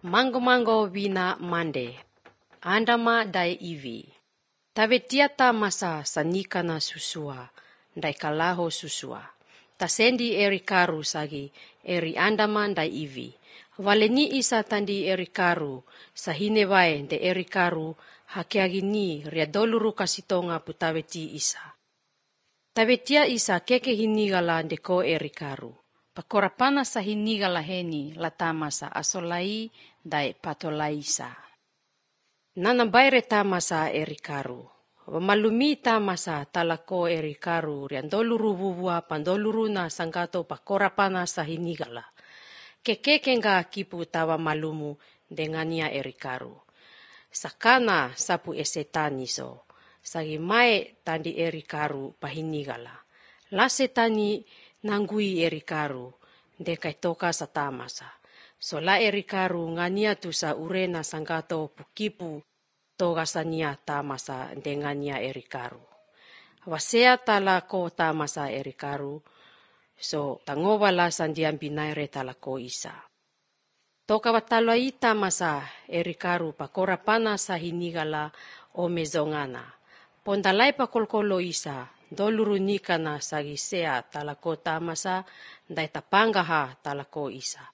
Mango vina mande. Andama dai ivi. Tavetiata masa sanikana susua. Dai kalaho susua. Tasendi eri karu sagi eri andama dai ivi. Valeni isa tandi eri karu. Sahine wae de eri karu. Hakeagini riadoluru kasitonga putaveti isa. Tavetia isa keke hinigala deko eri karu. Pakorapana sa hinigala heni latamasa asolai dai patolaisa. Nanabaire tamasa eri karu. Malumi tamasa talako eri karu riandoluru vuvua pandoluru na sangato pakorapana sa hinigala. Kekekenga kipu tawa malumu dengania eri karu. Sakana sapu esetaniso. Sagi mae tandi eri karu pahinigala. Lasetani nanggui eri karu dekai toka satamasa. Sola eri karu ngania tusa urena sanggato pukipu toga sania tamasa dengania eri karu. Wasea talako tamasa eri karu. So tangovala sandiam binaire talako isa. Toka watalo ita masa eri karu pakorapana sa hinigala o mezongana. Pondalai pakolkolo isa, doluru nikana sagisea talako tamasa, dai tapangaha talako isa.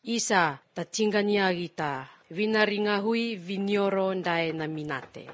Isa tatingania gita, vinaringahui vinioro dai naminate.